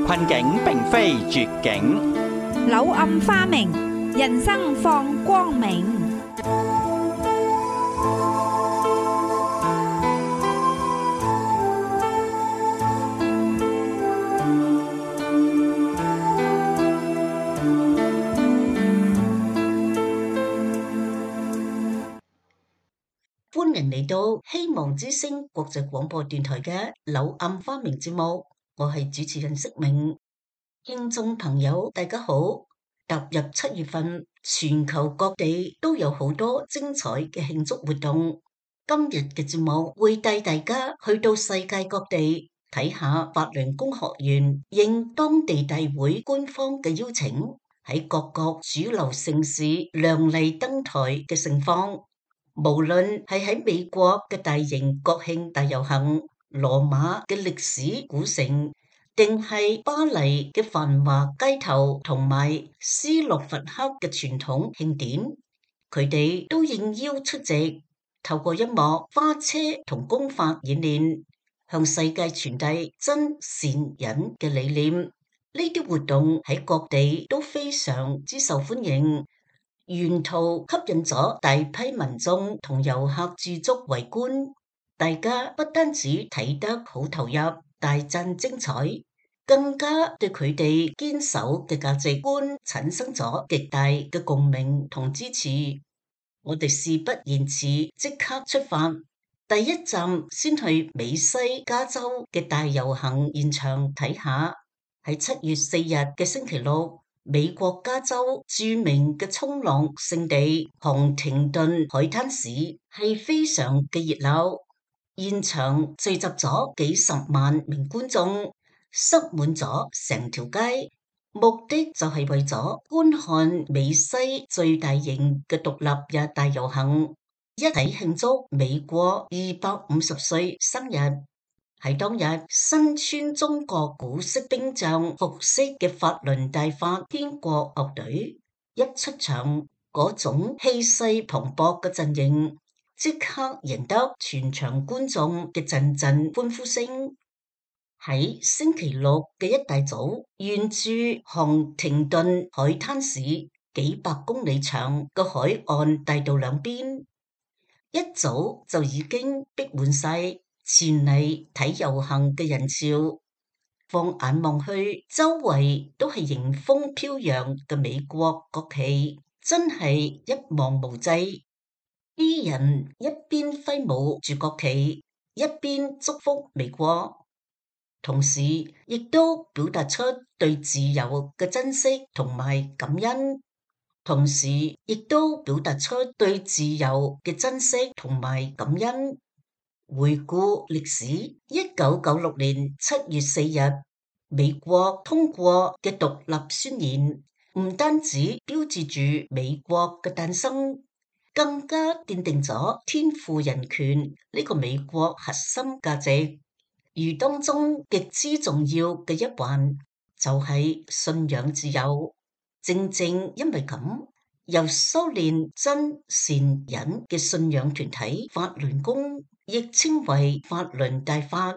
困境並非絕境，柳暗花明，人生放光明。歡迎嚟到希望之聲國際廣播電台嘅柳暗花明節目，我係主持人釋明。聽眾朋友大家好，踏入7月份，全球各地都有好多精彩嘅慶祝活動。今日嘅節目會帶大家去到世界各地睇下法輪功學員應當地大會官方嘅邀請，喺各國主流城市亮麗登台嘅盛況。無論係喺美國嘅大型國慶大遊行、羅馬嘅歷史古城，定係巴黎嘅繁華街頭，同埋斯洛伐克嘅傳統慶典，佢哋都應邀出席，透過音樂、花車同功法演練，向世界傳遞真善忍嘅理念。呢啲活動喺各地都非常之受歡迎。沿途吸引咗大批民眾同遊客駐足圍觀，大家不單止睇得好投入，大讚精彩，更加對佢哋堅守嘅價值觀產生咗極大嘅共鳴同支持。我哋事不宜遲，即刻出發。第一站先去美西加州嘅大遊行現場睇下，喺7月4日嘅星期六，美國加州著名嘅衝浪勝地杭廷頓海灘市係非常嘅熱鬧，現場聚集咗幾十萬名觀眾，塞滿咗成條街，目的就係為咗觀看美西最大型嘅獨立日大遊行，一齊慶祝美國250歲生日。喺當日，身穿中國古式兵將服飾嘅法輪大法天國樂隊一出場，嗰種氣勢磅礴嘅陣營，即刻贏得全場觀眾嘅陣陣歡呼聲。喺星期六嘅一大早，沿住杭廷頓海灘市幾百公里長嘅海岸大道兩邊，一早就已經逼滿晒前嚟睇遊行嘅人潮，放眼望去，周圍都係迎風飄揚嘅美國國旗，真係一望無際。啲人一邊揮舞住國旗，一邊祝福美國，同時亦都表達出對自由嘅珍惜同埋感恩，同時亦都表達出對自由嘅珍惜同埋感恩。回顧歷史，1996年7月4日，美國通過嘅獨立宣言，唔單止標誌住美國嘅誕生，更加奠定咗天賦人權呢個美國核心價值。而當中極之重要嘅一環，就係信仰自由。正正因為咁，由修煉真善忍嘅信仰團體法輪功，亦稱為法輪大法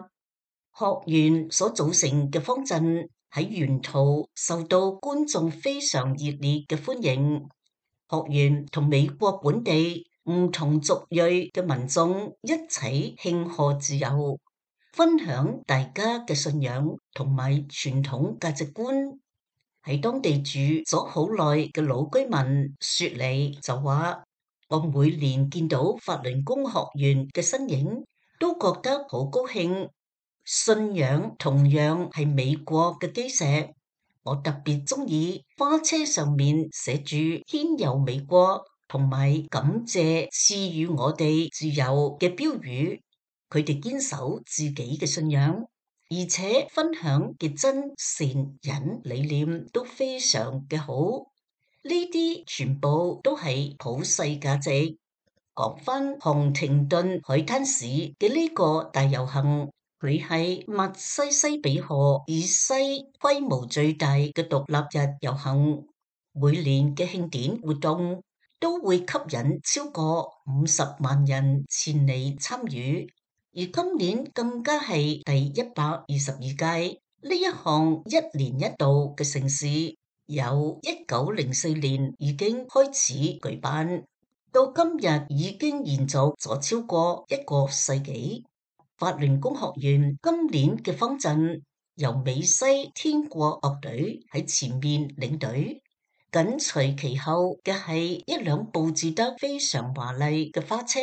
學院所組成嘅方陣，喺沿途受到觀眾非常熱烈嘅歡迎。學院同美國本地唔同族裔嘅民眾一齊慶賀自由，分享大家嘅信仰同埋傳統價值觀。喺當地住咗好耐嘅老居民雪梨就話：我每年見到法輪功學員嘅身影，都覺得好高興。信仰同樣係美國嘅基石，我特別中意花車上面寫住天佑美國同埋感謝賜予我哋自由嘅標語。佢哋堅守自己嘅信仰，而且分享嘅真善忍理念都非常嘅好。呢啲全部都係普世價值。講返杭廷頓海灘市嘅呢個大遊行，佢係密西西比河以西規模最大嘅獨立日遊行。每年嘅慶典活動都會吸引超過50萬人前嚟參與，而今年更加係第122屆。呢一項一年一度嘅盛事，由1904年已經開始舉辦，到今日已經延續咗超過一個世紀。法輪功學院今年嘅方陣由美西天國樂隊喺前面領隊，緊隨其後嘅係一輛佈置得非常華麗嘅花車。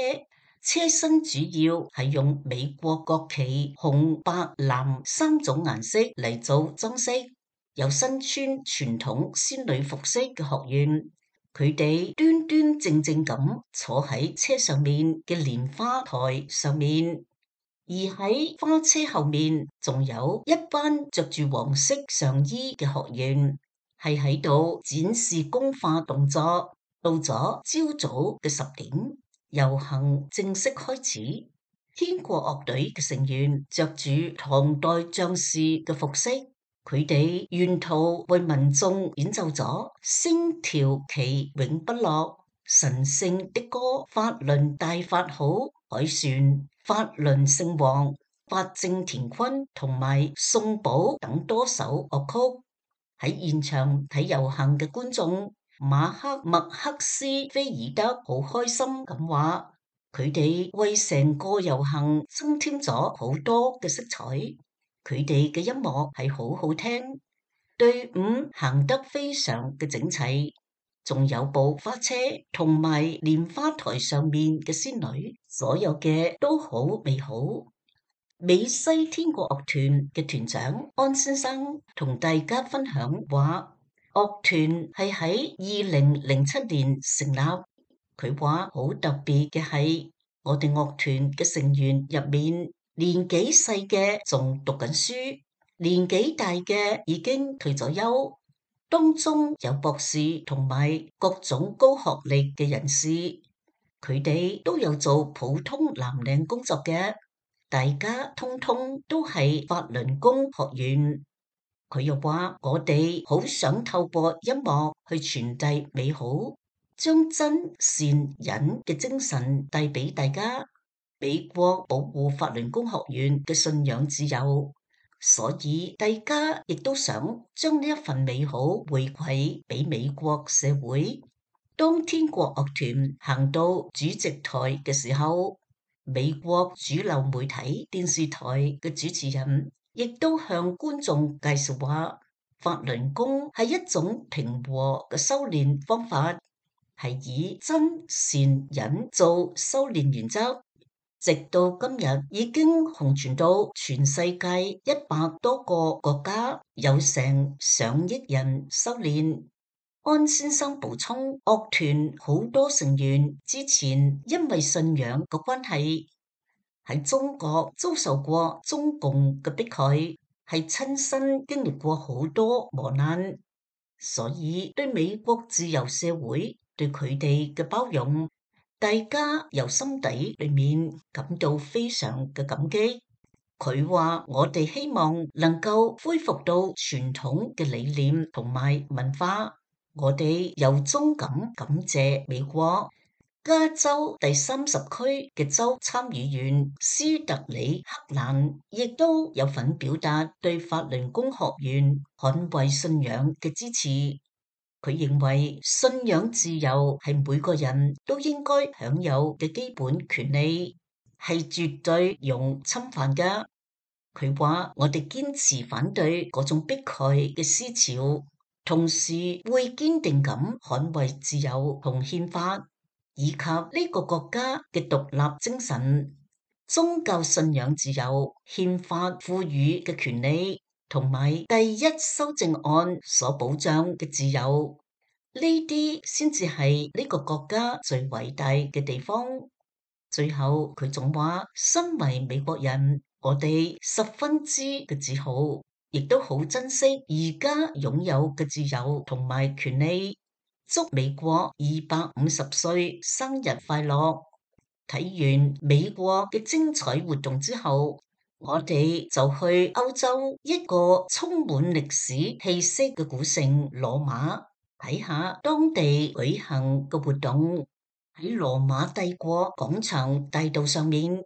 車身主要係用美國國旗紅、白、藍三種顏色嚟做裝飾。有身穿傳統仙女服飾嘅學員，佢哋端端正正咁坐喺車上面嘅蓮花台上面，而喺花車後面仲有一班着住黃色上衣嘅學員，係喺度展示功法動作。到咗朝早嘅10點。遊行正式開始，天國樂隊嘅成員着住唐代將士嘅服飾，佢哋沿途為民眾演奏咗星條旗永不落、神聖的歌、法輪大法好、凱旋、法輪聖王、法正乾坤同埋宋寶等多首樂曲。喺現場睇遊行嘅觀眾馬克麥克斯菲爾德好開心咁話，佢哋為成個遊行增添咗好多嘅色彩。佢哋嘅音樂係好好聽，隊伍行得非常嘅整齊，仲有部花車同埋蓮花台上面嘅仙女，所有嘅都好美好。美西天國樂團嘅團長安先生同大家分享話，樂團係喺2007年成立。佢話好特別嘅係，我哋樂團嘅成員入面，年紀細嘅仲讀緊書，年紀大嘅已經退咗休，當中有博士同埋各種高學歷嘅人士，佢哋都有做普通藍領工作嘅，大家通通都係法輪功學員。佢又話，我哋好想透過音樂去傳遞美好，將真善忍嘅精神帶俾大家。美國保護法輪功學院嘅信仰自由，所以大家亦都想將呢一份美好回饋俾美國社會。當天國樂團行到主席台嘅時候，美國主流媒體電視台嘅主持人亦都向觀眾介紹話，法輪功係一種平和嘅修煉方法，係以真善忍做修煉原則，直到今日已經紅傳到全世界100多個國家，有成上億人修煉。安先生補充，樂團好多成員之前因為信仰嘅關係喺中國遭受過中共嘅迫害，係親身經歷過好多磨難，所以對美國自由社會對佢哋嘅包容，大家由心底裏面感到非常嘅感激。佢話，我哋希望能夠恢復到傳統嘅理念同埋文化。我哋由衷咁感謝美國加州第30區嘅州參議員斯特里克蘭，亦都有份表達對法輪功學院捍衛信仰嘅支持。佢認為信仰自由係每個人都應該享有嘅基本權利，係絕對容侵犯㗎。佢話，我哋堅持反對嗰種迫害嘅思潮，同時會堅定咁捍衛自由同憲法，以及呢個國家嘅獨立精神、宗教信仰自由、憲法賦予嘅權利，同埋第一修正案所保障嘅自由，呢啲先至係呢個國家最偉大嘅地方。最後佢仲話，身為美國人，我哋十分之嘅自豪，亦都好珍惜而家擁有嘅自由同埋權利。祝美國250歲生日快樂！睇完美國嘅精彩活動之後，我哋就去歐洲一個充滿歷史氣息嘅古城羅馬，睇下當地舉行嘅活動。喺羅馬帝國廣場大道上面，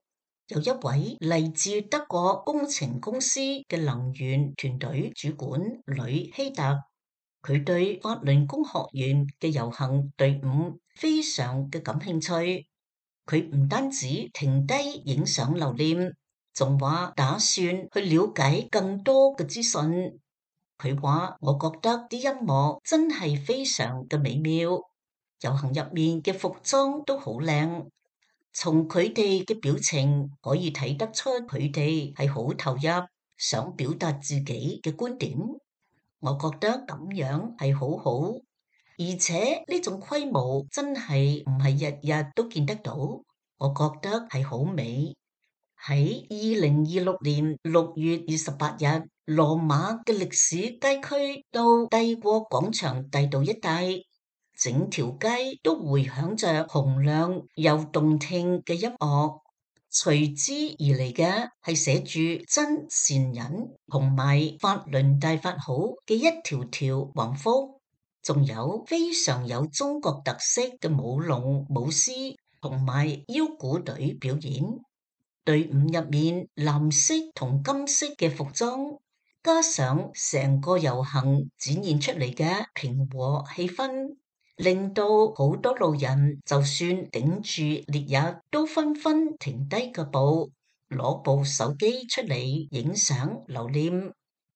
有一位嚟自德國工程公司嘅能源團隊主管呂希特，佢對法輪功學院嘅遊行隊伍非常嘅感興趣。佢唔單止停低影相留念，仲話打算去了解更多嘅資訊。佢話：我覺得啲音樂真係非常嘅美妙，遊行入面嘅服裝都好靚。從佢哋嘅表情可以睇得出，佢哋係好投入，想表達自己嘅觀點。我覺得咁樣係好好，而且呢種規模真係唔係日日都見得到。我覺得係好美。喺2026年6月28日，羅馬嘅歷史街區到帝國廣場大道一帶，整條街都回響着洪亮又動聽嘅音樂，隨之而嚟嘅係寫住真善忍同埋法輪大法好嘅一條條橫幅，仲有非常有中國特色嘅舞龍舞獅同埋腰鼓隊表演。隊伍入面藍色同金色嘅服裝，加上成個遊行展現出嚟嘅平和氣氛，令到好多路人就算頂住烈日，都紛紛停低腳步，攞部手機出嚟影相留念。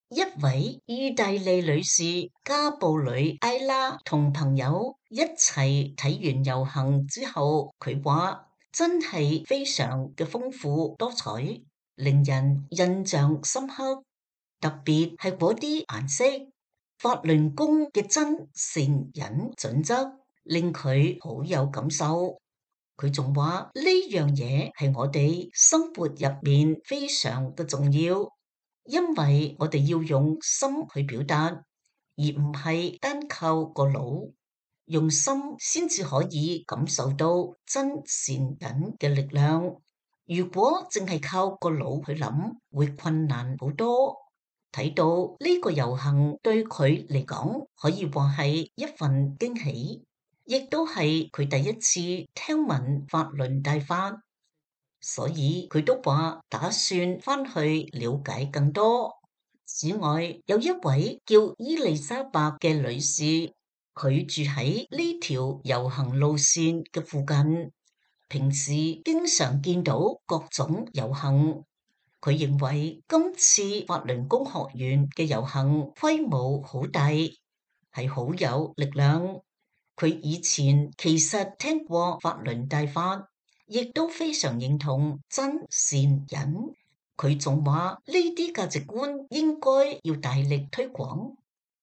一位意大利女士加布里埃拉同朋友一齊睇完遊行之後，佢話真係非常嘅豐富多彩，令人印象深刻，特別係嗰啲顏色。法輪功嘅真善忍準則令佢好有感受。佢仲話呢樣嘢係我哋生活入面非常嘅重要，因為我哋要用心去表達，而唔係單靠個腦，用心先至可以感受到真善忍嘅力量。如果淨係靠個腦去諗，會困難好多。睇到呢個遊行對佢嚟講，可以話係一份驚喜，亦都係佢第一次聽聞法輪大法，所以佢都話打算翻去了解更多。此外，有一位叫伊麗莎白嘅女士，佢住喺呢條遊行路線嘅附近，平時經常見到各種遊行。佢認為今次法輪功學院嘅遊行規模好大，係好有力量。佢以前其實聽過法輪大法，亦都非常認同真善忍。佢仲話呢啲價值觀應該要大力推廣，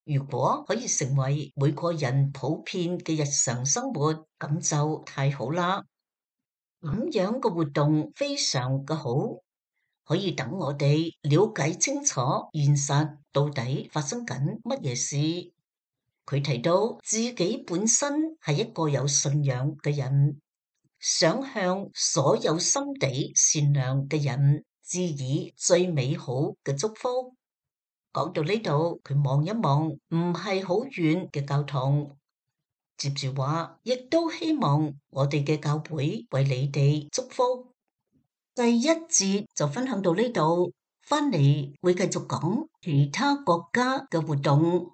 如果可以成為每個人普遍嘅日常生活，咁就太好啦。咁樣嘅活動非常嘅好。可以等我哋了解清楚現實到底發生緊乜嘢事。佢提到自己本身係一個有信仰嘅人，想向所有心地善良嘅人致以最美好嘅祝福。講到呢度，佢望一望唔係好遠嘅教堂，接住話，亦都希望我哋嘅教會為你哋祝福。第一節就分享到呢度，翻嚟會繼續講其他國家嘅活動。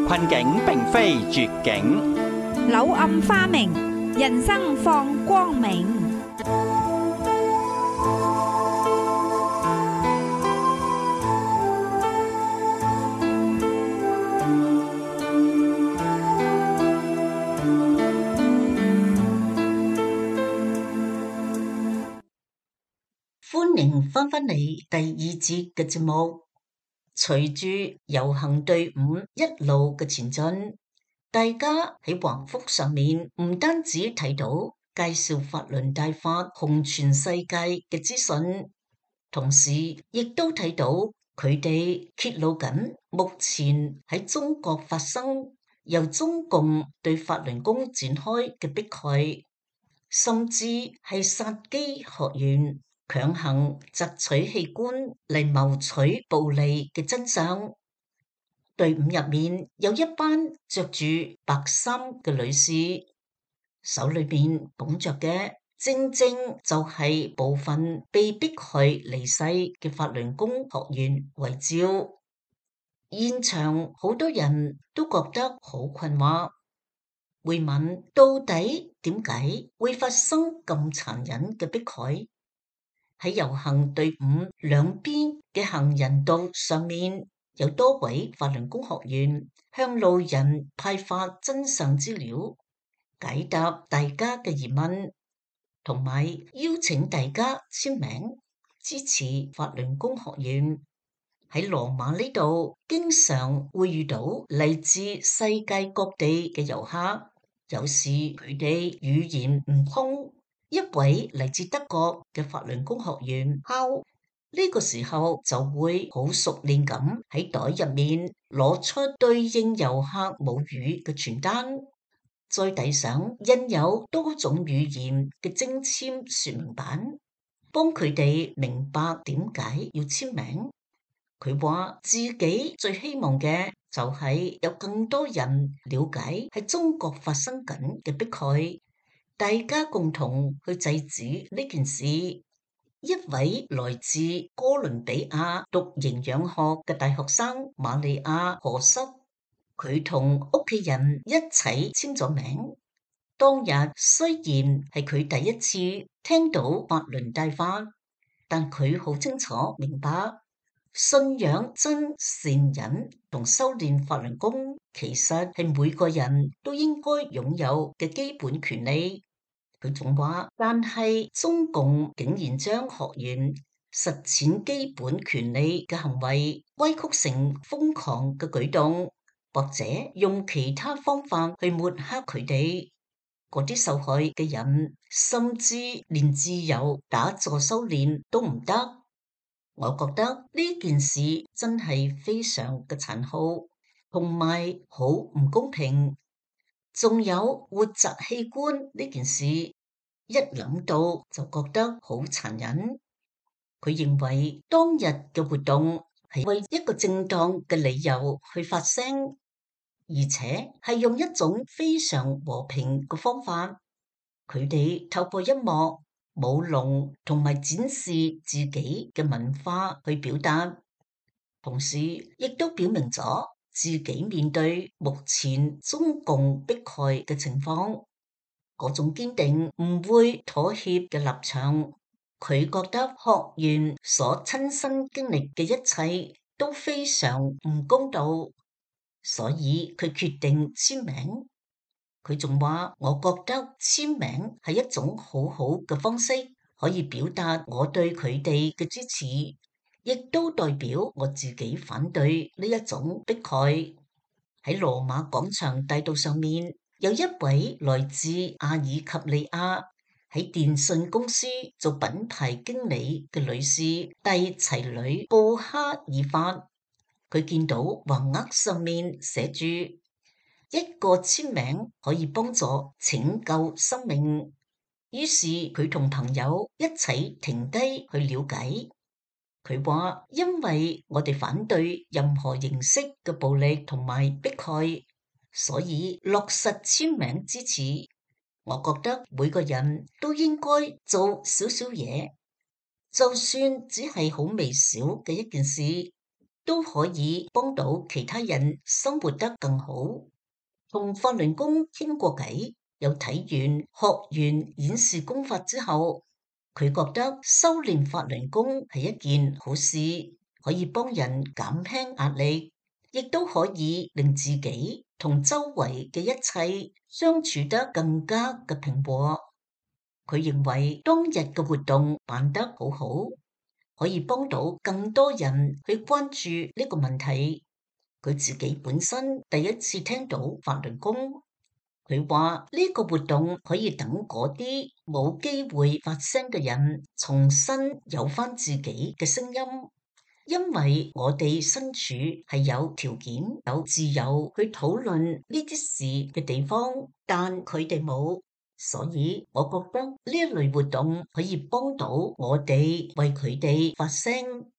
困境並非絕境，柳暗花明，人生放光明。歡迎翻返嚟第二節嘅節目。隨住遊行隊伍一路嘅前進，大家喺橫幅上面唔單止睇到介紹法輪大法紅全世界嘅資訊，同時亦都睇到佢哋揭露緊目前喺中國發生由中共對法輪功展開嘅迫害。甚至係殺雞學園強行摘取器官嚟謀取暴利嘅真相。隊伍入面有一班着住白衫嘅女士，手裏面捧着嘅正正就係部分被迫害離世嘅法輪功學員遺照。現場好多人都覺得好困惑，會問到底點解會發生咁殘忍嘅迫害？喺遊行隊伍兩邊嘅行人道上面，有多位法輪功學員向路人派發真相資料，解答大家嘅疑問，同埋邀請大家簽名支持法輪功學員。喺羅馬呢度，經常會遇到嚟自世界各地嘅遊客，有時佢哋語言唔通。一位嚟自德國嘅法輪功學員敲呢個時候就會好熟練咁喺袋入面攞出對應遊客母語嘅傳單，再遞上印有多種語言嘅精簽說明版，幫佢哋明白點解要簽名。佢話自己最希望嘅就係有更多人了解喺中國發生緊嘅迫害，大家共同去制止呢件事。一位來自哥倫比亞讀營養學嘅大學生瑪利亞何塞，佢同屋企人一齊簽咗名。當日雖然係佢第一次聽到法輪大法，但佢好清楚明白，信仰真善忍同修煉法輪功，其實係每個人都應該擁有嘅基本權利。佢仲話，但係中共竟然將學員實踐基本權利嘅行為歪曲成瘋狂嘅舉動，或者用其他方法去抹黑佢哋。嗰啲受害嘅人，甚至連自由打坐修煉都唔得。我覺得呢件事真係非常嘅殘酷，同埋好唔公平。仲有活摘器官呢件事，一諗到就覺得好殘忍。佢認為當日嘅活動係為一個正當嘅理由去發聲，而且係用一種非常和平嘅方法。佢哋透過音樂、舞龍同埋展示自己嘅文化去表達，同時亦都表明咗自己面對目前中共迫害嘅情況嗰種堅定唔會妥協嘅立場。佢覺得學員所親身經歷嘅一切都非常唔公道，所以佢決定簽名。佢仲話，我覺得簽名係一種好好嘅方式，可以表達我對佢哋嘅支持，亦都代表我自己反對呢一種迫害。喺羅馬廣場大道上面，有一位來自阿爾及利亞喺電信公司做品牌經理嘅女士蒂齊里布哈爾法，佢見到橫額上面寫住一個簽名可以幫助拯救生命，於是佢同朋友一齊停低去了解。佢話，因為我哋反對任何形式嘅暴力同埋迫害，所以落實簽名支持。我覺得每個人都應該做少少嘢，就算只係好微小嘅一件事，都可以幫到其他人生活得更好。同法輪功傾過偈，又睇完學員演示功法之後，佢覺得修煉法輪功係一件好事，可以幫人減輕壓力，亦都可以令自己同周圍嘅一切相處得更加嘅平和。佢認為當日嘅活動辦得好好，可以幫到更多人去關注呢個問題。佢自己本身第一次聽到法輪功，佢話呢個活動可以等嗰啲冇機會發聲嘅人重新有返自己嘅聲音，因為我哋身處係有條件、有自由去討論呢啲事嘅地方，但佢哋冇。所以我覺得呢一類活動可以幫到我哋為佢哋發聲。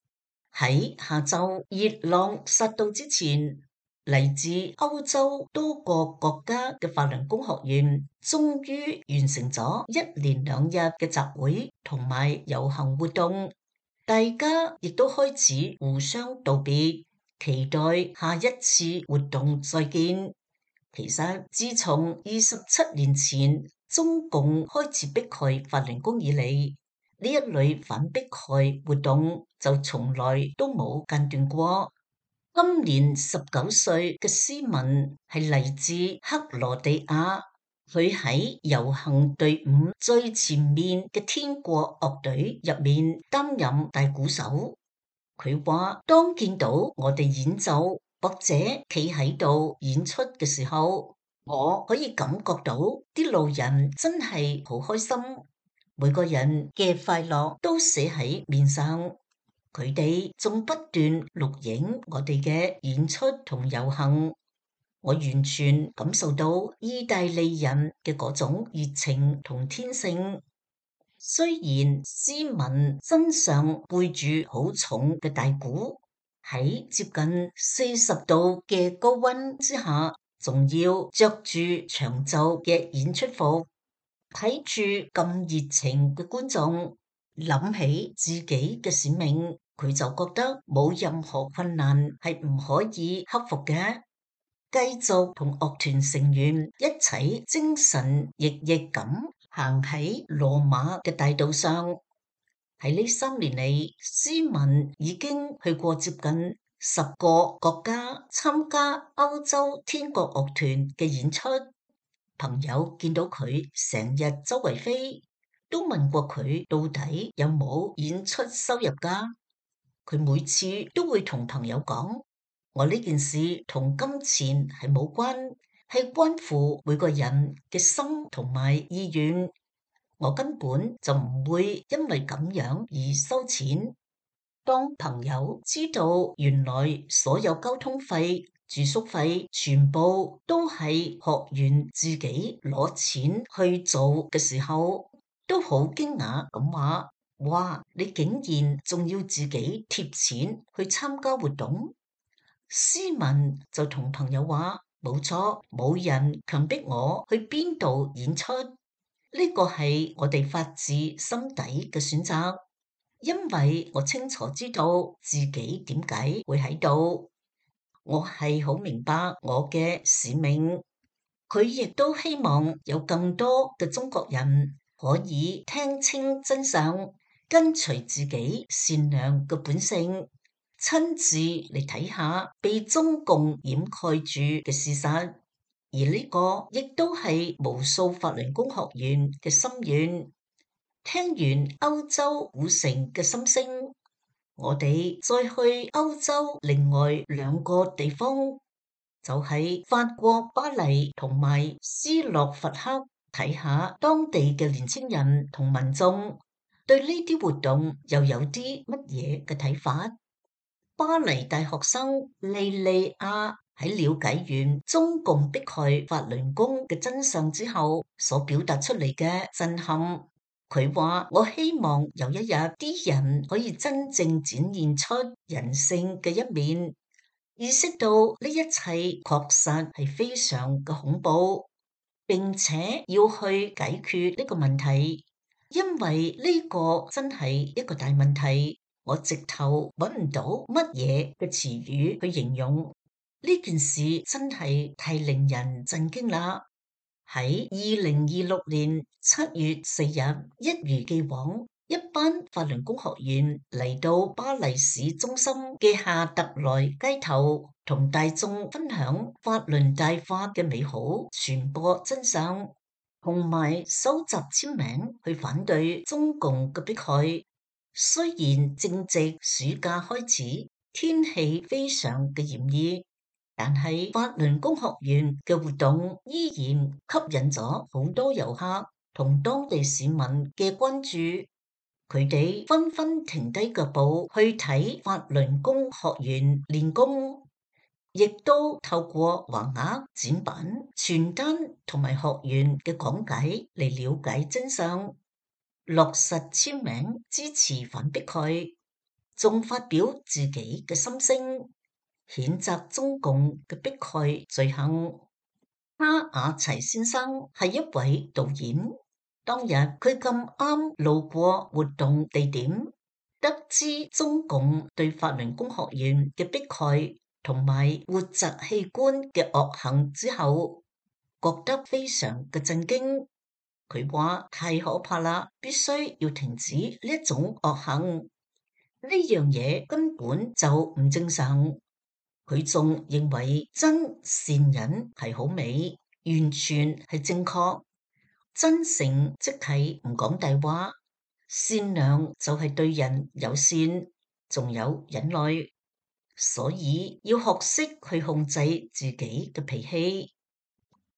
喺下晝熱浪殺到之前，嚟自歐洲多個國家嘅法輪功學員終於完成咗1連2日嘅集會同埋遊行活動，大家亦都開始互相道別，期待下一次活動再見。其實自從27年前中共開始迫害法輪功以嚟，呢一類反迫害活動就從來都冇間斷過。今年19歲嘅斯文係嚟自克羅地亞，佢喺遊行隊伍最前面嘅天國樂隊入面擔任大鼓手。佢話當見到我哋演奏或者企喺度演出嘅時候，我可以感覺到啲路人真係好開心，每個人嘅快樂都寫喺面上。佢哋仲不斷錄影我哋嘅演出同遊行，我完全感受到意大利人嘅嗰種熱情同天性。雖然斯文身上背住好重嘅大鼓，喺接近40度嘅高溫之下，仲要着住長袖嘅演出服，睇住咁熱情嘅觀眾，諗起自己嘅使命，佢就覺得冇任何困難係唔可以克服嘅。繼續同樂團成員一齊精神奕奕咁行喺羅馬嘅大道上。喺呢3年嚟，斯文已經去過接近10個國家參加歐洲天國樂團嘅演出。朋友見到佢成日周圍飛，都問過佢到底有冇演出收入㗎。佢每次都會同朋友講：我呢件事同金錢係冇關，係關乎每個人嘅心同埋意願。我根本就唔會因為咁樣而收錢。當朋友知道原來所有交通費、住宿費全部都係學員自己攞錢去做嘅時候，都好驚訝咁話：哇！你竟然仲要自己貼錢去參加活動？斯文就同朋友話：冇錯，冇人強迫我去邊度演出。呢個係我哋發自心底嘅選擇，因為我清楚知道自己點解會喺度，我係好明白我嘅使命。佢亦都希望有更多嘅中國人可以聽清真相，跟隨自己善良嘅本性，親自嚟睇下被中共掩蓋住嘅事實。而呢個亦都係無數法輪功學員嘅心願。聽完歐洲古城嘅心聲，我哋再去歐洲另外2個地方，就係法國巴黎同埋斯洛伐克，睇下當地嘅年輕人同民眾對呢啲活動又有啲乜嘢嘅睇法。巴黎大學生莉莉亞喺了解完中共迫害法輪功嘅真相之後，所表達出嚟嘅震撼，佢話：我希望有一日啲人可以真正展現出人性嘅一面，意識到呢一切確實係非常嘅恐怖，並且要去解決呢個問題，因為呢個真係一個大問題。我直頭揾唔到乜嘢嘅詞語去形容呢件事，真係太令人震驚啦！喺2026年7月4日，一如既往，一班法輪功學員嚟到巴黎市中心嘅夏特萊街頭，同大眾分享法輪大法嘅美好，傳播真相，同埋收集簽名去反對中共嘅迫害。雖然正值暑假開始，天氣非常嘅炎熱，但係法輪功學員嘅活動依然吸引咗好多遊客同當地市民嘅關注。佢哋紛紛停低腳步去睇法輪功學員練功。亦都透過橫額、展板、傳單同埋學員嘅講解嚟了解真相，落實簽名支持反迫害，仲發表自己嘅心聲，譴責中共嘅迫害罪行。哈瓦齊先生係一位導演，當日佢咁啱路過活動地點，得知中共對法輪功學員嘅迫害同埋活摘器官嘅惡行之後，覺得非常嘅震驚。佢話太可怕啦，必須要停止呢一種惡行，呢樣嘢根本就唔正常。佢仲認為真善忍係好美，完全係正確。真誠即係唔講大話，善良就係對人友善，仲有忍耐。所以要學識去控制自己嘅脾氣。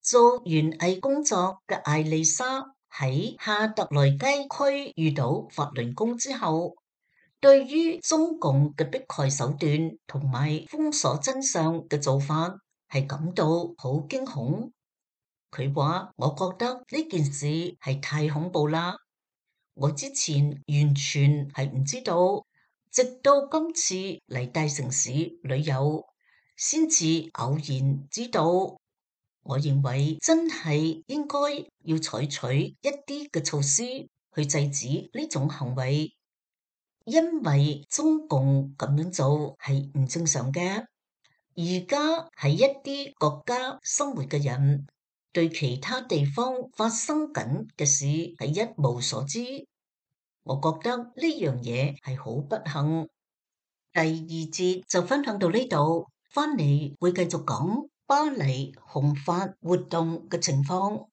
做園藝工作嘅艾麗莎喺夏特萊街區遇到法輪功之後，對於中共嘅迫害手段同埋封鎖真相嘅做法係感到好驚恐。佢話：我覺得呢件事係太恐怖啦，我之前完全係唔知道，直到今次嚟大城市旅遊，先至偶然知道。我認為真係應該要採取一啲嘅措施去制止呢種行為。因為中共咁樣做係唔正常嘅，而家喺一啲國家生活嘅人對其他地方發生緊嘅事係一無所知，我覺得呢樣嘢係好不幸。第二節就分享到呢度，翻嚟會繼續講巴黎紅髮活動嘅情況。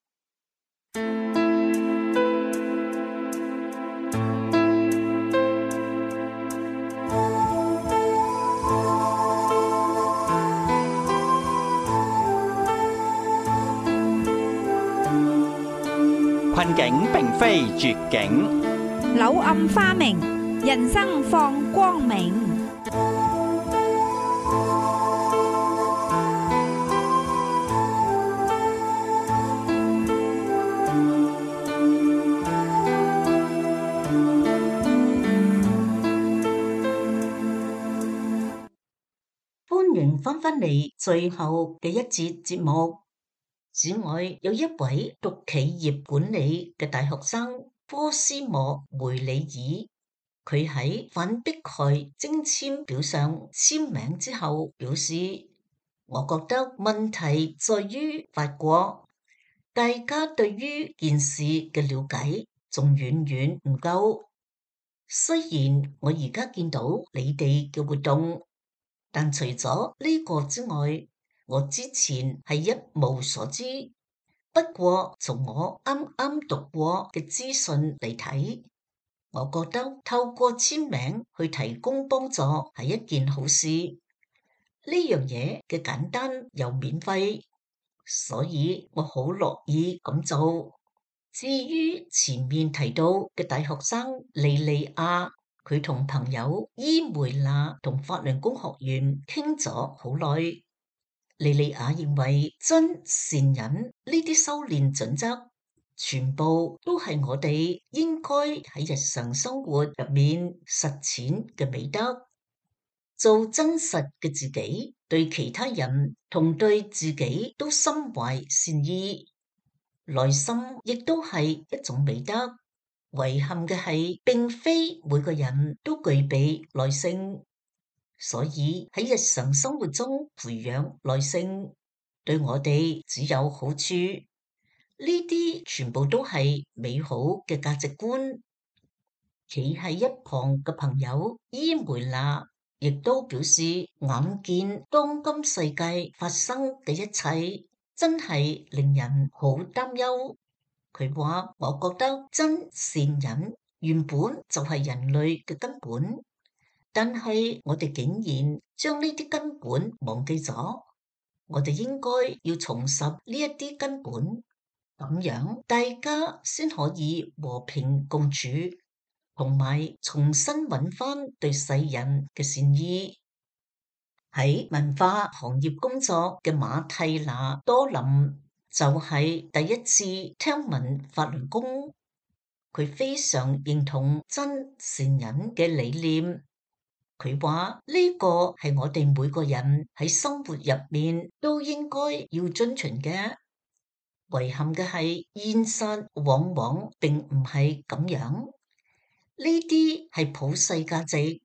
困境並非絕境，柳暗花明，人生放光明。歡迎翻返嚟最後嘅一節節目。此外，有一位讀企業管理嘅大學生科斯莫梅里爾，佢喺反迫害徵簽表上簽名之後表示：我覺得問題在於法國，大家對於件事嘅了解仲遠遠唔夠。雖然我而家見到你哋嘅活動，但除咗呢個之外，我之前係一無所知，不過從我啱啱讀過嘅資訊嚟睇，我覺得透過簽名去提供幫助係一件好事。呢樣嘢嘅簡單又免費，所以我好樂意咁做。至於前面提到嘅大學生莉莉亞，佢同朋友伊梅娜同法輪功學員傾咗好耐。莉莉亞認為真善忍呢啲修煉準則，全部都係我哋應該喺日常生活入面實踐嘅美德，做真實嘅自己，對其他人同對自己都心懷善意，耐心亦都係一種美德。遺憾嘅係，並非每個人都具備耐性。所以喺日常生活中培養耐性，對我哋只有好處。呢啲全部都係美好嘅價值觀。企喺一旁嘅朋友伊梅娜亦都表示，眼見當今世界發生嘅一切，真係令人好擔憂。佢話：我覺得真善忍原本就係人類嘅根本。但係我哋竟然將呢啲根本忘記咗，我哋應該要重拾呢一啲根本，咁樣大家先可以和平共處，同埋重新揾翻對世人嘅善意。喺文化行業工作嘅馬蒂娜多林就係第一次聽聞法輪功，佢非常認同真善忍嘅理念。佢話呢個係我哋每個人喺生活入面都應該要遵循嘅。遺憾嘅係現實往往並唔係咁樣，呢啲係普世價值。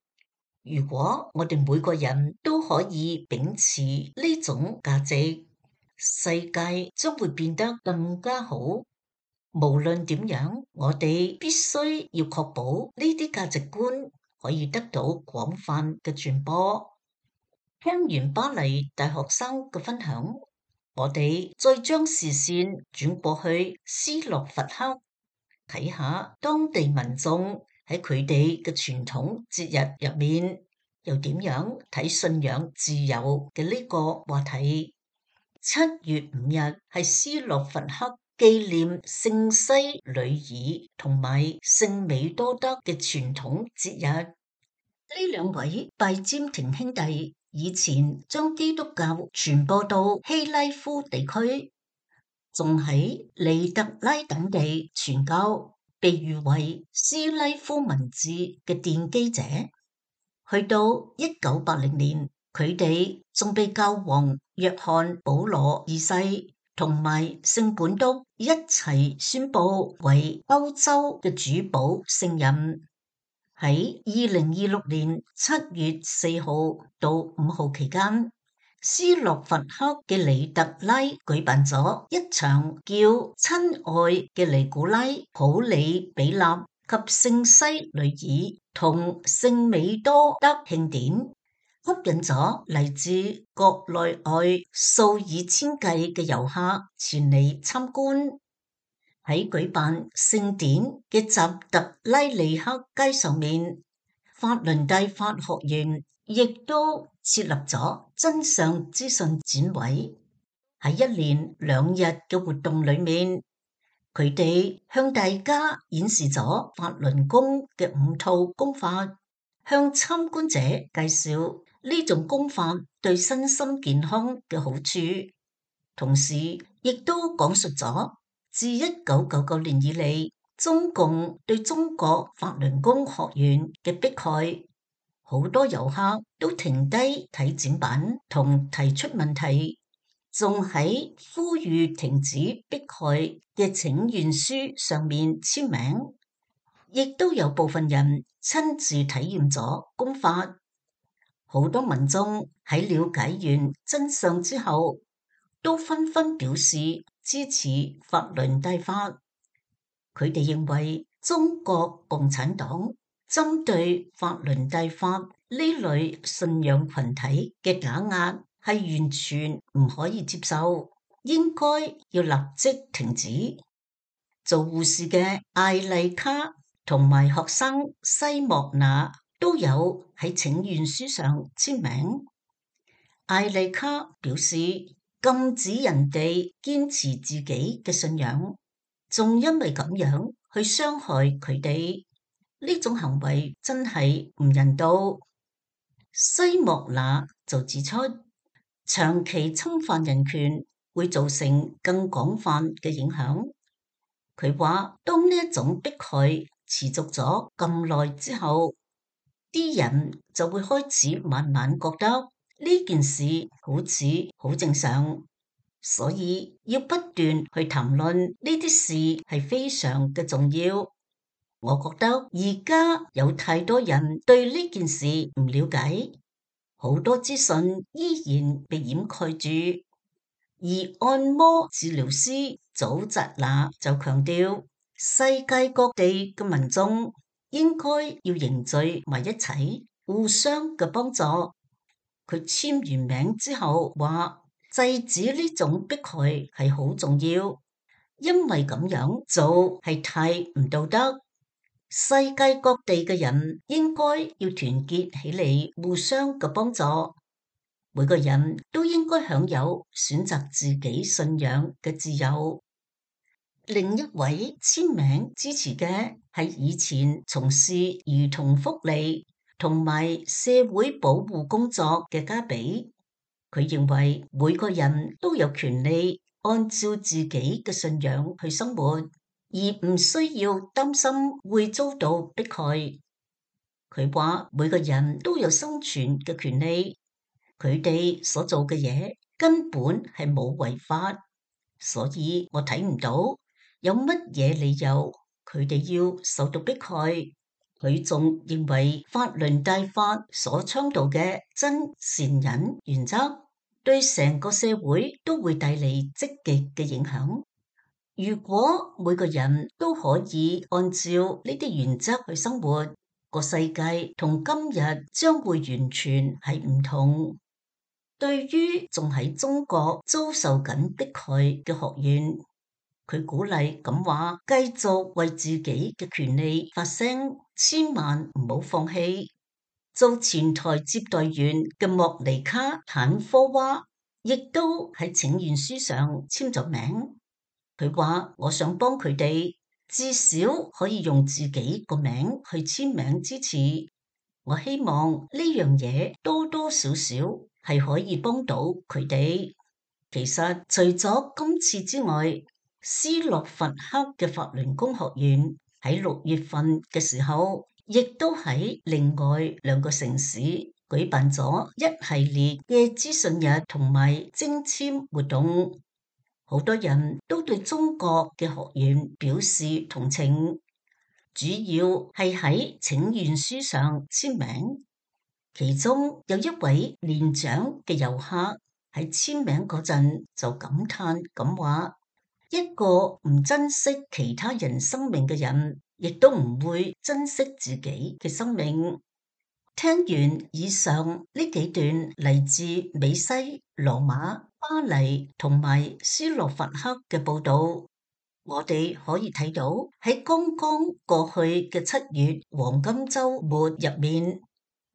如果我哋每個人都可以秉持呢種價值，世界將會變得更加好。無論點樣，我哋必須要確保呢啲價值觀可以得到廣泛嘅傳播。聽完巴黎大學生嘅分享，我哋再將視線轉過去斯洛伐克，睇下當地民眾喺佢哋嘅傳統節日入面又點樣睇信仰自由嘅呢個話題。7月5日係斯洛伐克紀念聖西呂爾同埋聖美多德嘅傳統節日。呢兩位拜占庭兄弟以前將基督教傳播到希拉夫地區，仲喺尼特拉等地傳教，被譽為斯拉夫文字嘅奠基者。去到1980年，佢哋仲被教皇約翰保羅二世同埋聖本篤一齊宣布為歐洲嘅主保聖人。喺2026年7月4號到5號期間，斯洛伐克嘅尼特拉舉辦咗一場叫親愛嘅尼古拉普里比納及聖西呂爾同聖美多德慶典，吸引咗嚟自國內外數以千計嘅遊客前嚟參觀。喺舉辦聖典嘅扎特拉利克街上面，法輪大法學院亦都設立咗真相資訊展位。喺1連2日嘅活動裏面，佢哋向大家演示咗法輪功嘅5套功法，向參觀者介紹呢種功法對身心健康嘅好處，同時亦都講述咗自1999年以嚟，中共對中國法輪功學員嘅迫害。好多遊客都停低睇展板同提出問題，仲喺呼籲停止迫害嘅請願書上面簽名，亦都有部分人親自體驗咗功法。好多民眾喺了解完真相之後，都紛紛表示支持法輪大法。佢哋認為中國共產黨針對法輪大法呢類信仰群體嘅打壓係完全唔可以接受，應該要立即停止。做護士嘅艾麗卡同埋學生西莫娜都有喺請願書上簽名。艾麗卡表示禁止人哋堅持自己嘅信仰，仲因為咁樣去傷害佢哋，呢種行為真係唔人道。西莫娜就指出，長期侵犯人權會造成更廣泛嘅影響。佢話，當呢一種迫害持續咗咁耐之後，啲人就會開始慢慢覺得呢件事好似好正常，所以要不斷去談論呢啲事係非常嘅重要。我覺得而家有太多人對呢件事唔了解，好多資訊依然被掩蓋住。而按摩治療師祖澤娜就強調，世界各地嘅民眾應該要凝聚埋一齊，互相嘅幫助。佢簽完名之後話，制止呢種迫害係好重要，因為咁樣做係太唔道德。世界各地嘅人應該要團結起嚟，互相嘅幫助。每個人都應該享有選擇自己信仰嘅自由。另一位簽名支持嘅係以前從事兒童福利同埋社會保護工作嘅加比。佢認為每個人都有權利按照自己嘅信仰去生活，而唔需要擔心會遭到迫害。佢話每個人都有生存嘅權利，佢哋所做嘅嘢根本係冇違法，所以我睇唔到有乜嘢理由佢哋要受到迫害。佢仲認為法輪大法所倡導嘅真善忍原則對成個社會都會帶嚟積極嘅影響。如果每個人都可以按照呢啲原則去生活，個世界同今日將會完全係唔同。對於仲喺中國遭受緊迫害嘅學員，佢鼓勵咁話，繼續為自己嘅權利發聲，千萬唔好放棄。做前台接待員嘅莫尼卡坦科娃亦都喺請願書上簽咗名。佢話我想幫佢哋，至少可以用自己個名去簽名支持。我希望呢樣嘢多多少少係可以幫到佢哋。其實除咗今次之外，斯洛伐克嘅法輪功學院喺6月份嘅時候，亦都喺另外2個城市舉辦咗一系列嘅資訊日同埋徵簽活動。好多人都對中國嘅學員表示同情，主要係喺請願書上簽名。其中有一位年長嘅遊客喺簽名嗰陣就感嘆咁話：一個唔珍惜其他人生命嘅人，亦都唔會珍惜自己嘅生命。聽完以上呢幾段嚟自美西、羅馬、巴黎同埋斯洛伐克嘅報道，我哋可以睇到喺剛剛過去嘅7月黃金週末入面，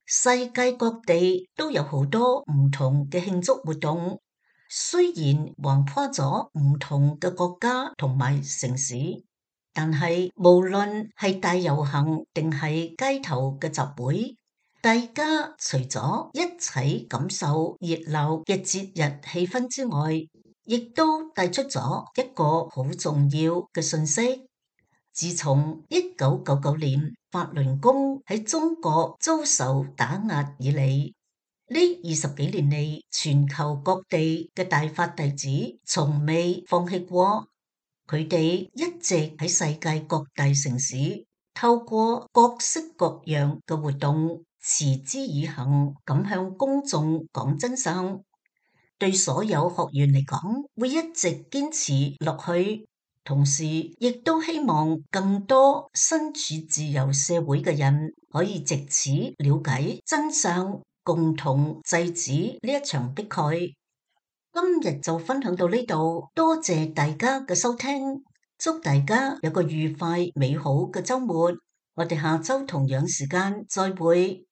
世界各地都有好多唔同嘅慶祝活動。雖然橫跨咗唔同嘅國家同埋城市，但係無論係大遊行定係街頭嘅集會，大家除咗一齊感受熱鬧嘅節日氣氛之外，亦都帶出咗一個好重要嘅信息。自從1999年法輪功喺中國遭受打壓以嚟，呢20幾年嚟，全球各地嘅大法弟子從未放棄過，佢哋一直喺世界各大城市透過各式各樣嘅活動持之以恆咁向公眾講真相。對所有學員嚟講，會一直堅持落去，同時亦都希望更多身處自由社會嘅人可以藉此了解真相，共同制止呢一場迫害。今日就分享到呢度，多謝大家嘅收聽，祝大家有個愉快美好嘅週末。我哋下週同樣時間再會。